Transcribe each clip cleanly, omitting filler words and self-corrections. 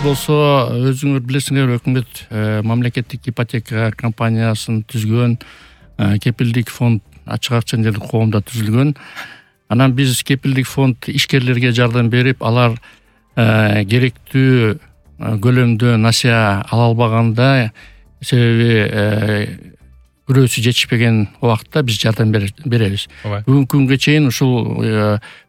болсо өзүңөр билесиңер, өкмөт мамлекеттик ипотека компаниясын түзгөн, кепилдик фонд ачык акча жерлик коомдо түзүлгөн. Анан биз кепилдик фонд ишкерлерге жардам берип, алар керектүү көлөмдө насыя ала албаганда, себеби күрөөсү жетишпеген убакытта биз жардам беребиз. Бүгүнкү күнгө чейин ушул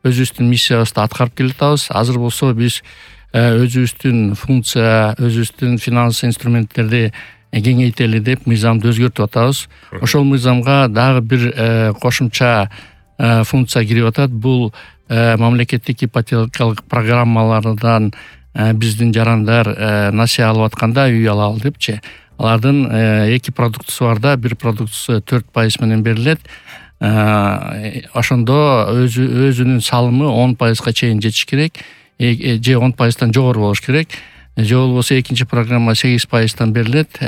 өзүбүздүн миссиябызды аткарып келатабыз. Азыр болсо биз өзүбүздүн функция, өзүбүздүн финанс инструменттерди кеңейтели деп мыйзамды өзгөртүп атабыз. Ошол мыйзамга дагы бир кошумча функция кирип атат. Бул мамлекеттик ипотекалык программалардан биздин жарандар насыя алып атканда, үй алалы депчи, алардын 2 продуктусу барда, бир продуктусу 4% менен берилет. Ошондо өзүнүн салымы 10%га чейин жетиш керек, же 10%тан жогору болуш керек. Же болбосо экинчи программа 8%тан берилет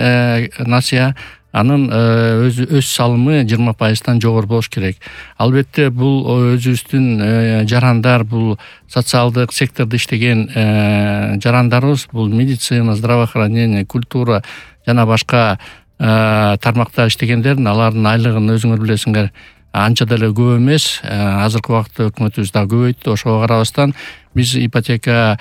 насыя, анын өз салымы 20%тан жогору болуш керек. Албетте бул өзүбүздүн жарандар, бул социалдык сектордо иштеген жарандарыбыз, бул медицина, здравоохранение, культура жана башка тармакта иштегендердин, алардын айлыгын өзүңөр билесиңер, анча деле көп эмес. Азыркы убакытта өкмөтүбүз дагы көбөйттү. Ошого карабастан биз ипотека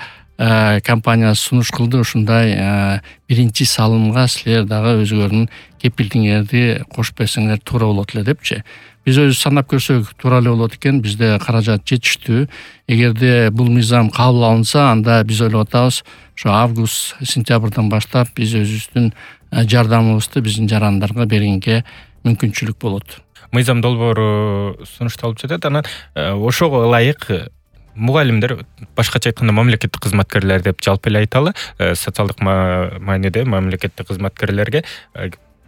компаниясы сунуш кылды. Ушундай биринчи салымга силер дагы өзүңөрдүн кепилдигиңерди кошуп берсеңер туура болот эле депчи. Биз өзү санап көрсөк туура эле болот экен. Бизде каражат жетиштүү. Эгерде бул мыйзам кабыл алынса, анда биз ойлоп атабыз, ошо август, сентябрдан баштап биз өзүбүздүн жардамыбызды биздин жарандарга бергенге мүмкүнчүлүк болот. Мыйзам долбоору сунушталып жатат. Анан ошого ылайык мугалимдер, башкача айтканда мамлекеттик кызматкерлер деп жалпы эле айталы, социалдык мааниде мамлекеттик кызматкерлерге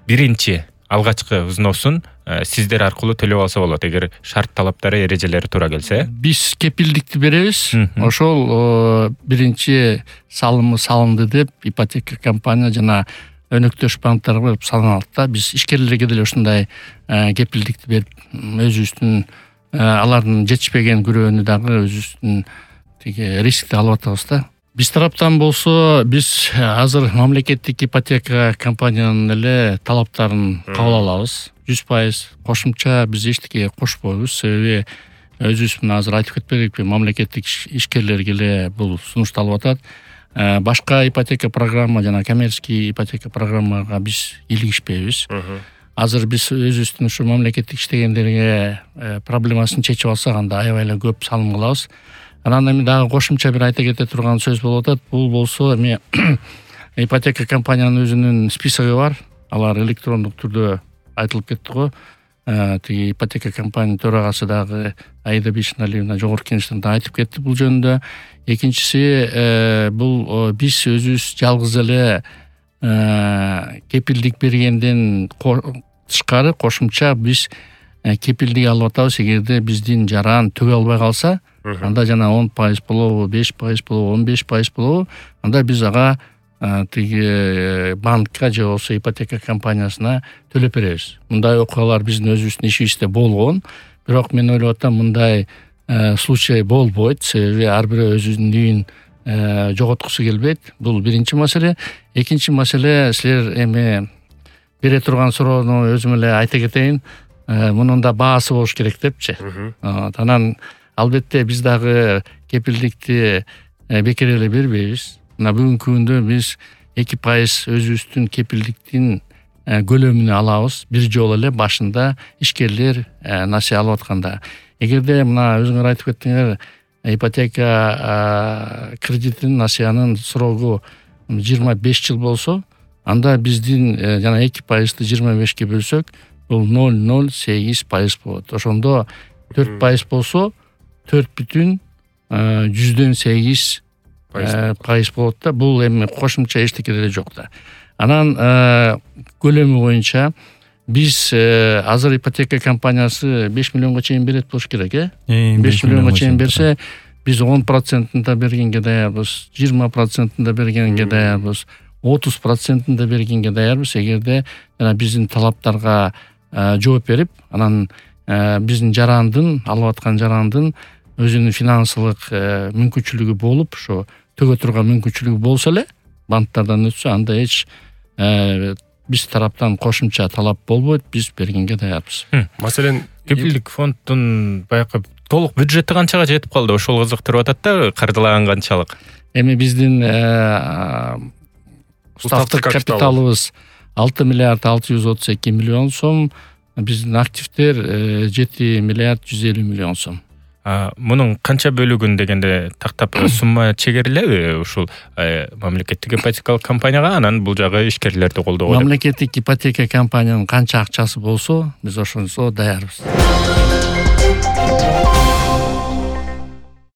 биринчи алгачкы взносун сиздер аркылуу төлөп алса болот, эгер шарт талаптары, эрежелери туура келсе. Биз кепилдикти беребиз. Ошол биринчи салымы салынды деп ипотека компания жана өнөктөш банктарга салыналат да. Биз ишкерлерге деле ушундай кепилдикти берип, өзүбүздүн алардын жетишпеген күрөөнү дагы өзүбүздүн рискти алып атабыз да. Биз тараптан болсо, биз азыр мамлекеттик ипотека компаниянын эле талаптарын кабыл алабыз. 100% кошумча биз эчтеке кошпойбуз. Себеби өзүбүз азыр айтып кетпедикпи, мамлекеттик ишкерлерге эле бул сунушталып атат. Башка ипотека программа жана коммерческий ипотека программага биз илигишпейбиз. Азыр биз өзүбүздүн ушу мамлекеттик иштегендерге проблемасын чечип алсак, анда аябай эле көп салым кылабыз. Анан эми дагы кошумча бир айта кете турган сөз болуп атат. Бул болсо эми ипотека компаниянын өзүнүн списоги бар. Алар электрондук түрдө айтылып кетти го. Тиги ипотека компаниянын төрагасы дагы Аида Бишналиевна жогорку кеңештен айтып кетти бул жөнүндө. Экинчиси, бул биз өзүбүз жалгыз эле кепилдик бергенден тышкары кошумча биз кепилдик алып атабыз. Эгерде биздин жаран төгө албай калса, анда жана 10% болобу, 5% болобу, 15% болобу, анда биз ага тиги банкка же болбосо ипотека компаниясына төлөп беребиз. Мындай окуялар биздин өзүбүздүн ишибизде болгон, бирок мен ойлоп атам, мындай случай болбойт. Себеби ар бирөө өзүнүн үйүн жоготкусу келбейт. Бул биринчи маселе. Экинчи маселе, силер эми бере турган суроону өзүм эле айта кетейин. Мунун да баасы болуш керек депчи. Анан албетте биз дагы кепилдикти бекер эле бербейбиз. Мына бүгүнкү күндө биз 2% өзүбүздүн кепилдиктин көлөмүнө алабыз. Бир жолу эле башында ишкерлер насыя алып атканда. Эгерде мына өзүңөр айтып кеттиңер, ипотека кредитин, насыянын срогу 25 жыл болсо, анда биздин жана 2%-ды 25-ке бөлсөк, бул 0,08% болот. Ошондо 4% болсо 4,8% болот да. Бул эми кошумча эчтеке деле жок да. Анан көлөмү боюнча биз азыр ипотека компаниясы 5 миллионго чейин берет болуш керек, 5 миллионго чейин берсе, биз 10%-ында бергенге даярбыз, 20%-ында бергенге даярбыз, 30%-ында бергенге даярбыз. Эгерде жана биздин талаптарга жооп берип, анан биздин жарандын, алып аткан жарандын өзүнүн финансылык мүмкүнчүлүгү болуп, ошо төгө турган мүмкүнчүлүгү болсо эле, банктардан өтсө анда эч биз тараптан кошумча талап болбойт, биз бергенге даярбыз. Маселен, кепилдик фонддун баягы толук бюджети канчага жетип калды? Ошол кызыктырып атат да, каржылаган канчалык? Эми биздин устав капиталыбыз 6 миллиард 632 миллион сом, биздин активдер 7 миллиард 150 миллион сом. Мунун канча бөлүгүн дегенде тактап сумма чегерилеби ушул мамлекеттик ипотекалык компанияга, анан бул жагы ишкерлерди колдоого? Мамлекеттик ипотека компаниянын канча акчасы болсо, биз ошонсо даярбыз.